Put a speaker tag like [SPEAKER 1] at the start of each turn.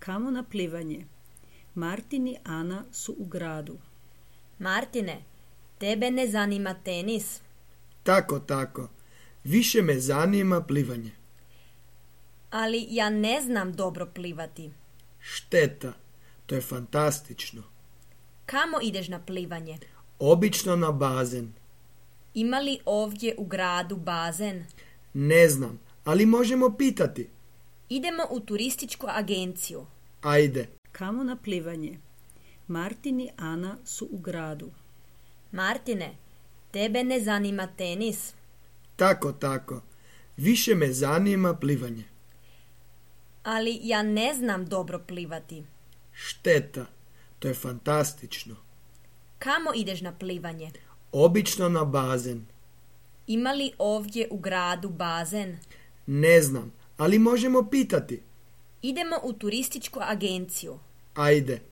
[SPEAKER 1] Kamo na plivanje? Martin i Ana su u gradu.
[SPEAKER 2] Martine, tebe ne zanima tenis?
[SPEAKER 3] Tako. Više me zanima plivanje.
[SPEAKER 2] Ali ja ne znam dobro plivati.
[SPEAKER 3] Šteta, to je fantastično.
[SPEAKER 2] Kamo ideš na plivanje?
[SPEAKER 3] Obično na bazen.
[SPEAKER 2] Ima li ovdje u gradu bazen?
[SPEAKER 3] Ne znam, ali možemo pitati.
[SPEAKER 2] Idemo u turističku agenciju.
[SPEAKER 3] Ajde.
[SPEAKER 1] Kamo na plivanje? Martin i Ana su u gradu.
[SPEAKER 2] Martine, tebe ne zanima tenis?
[SPEAKER 3] Tako. Više me zanima plivanje.
[SPEAKER 2] Ali ja ne znam dobro plivati.
[SPEAKER 3] Šteta, to je fantastično.
[SPEAKER 2] Kamo ideš na plivanje?
[SPEAKER 3] Obično na bazen.
[SPEAKER 2] Ima li ovdje u gradu bazen?
[SPEAKER 3] Ne znam, ali možemo pitati.
[SPEAKER 2] Idemo u turističku agenciju.
[SPEAKER 3] Ajde.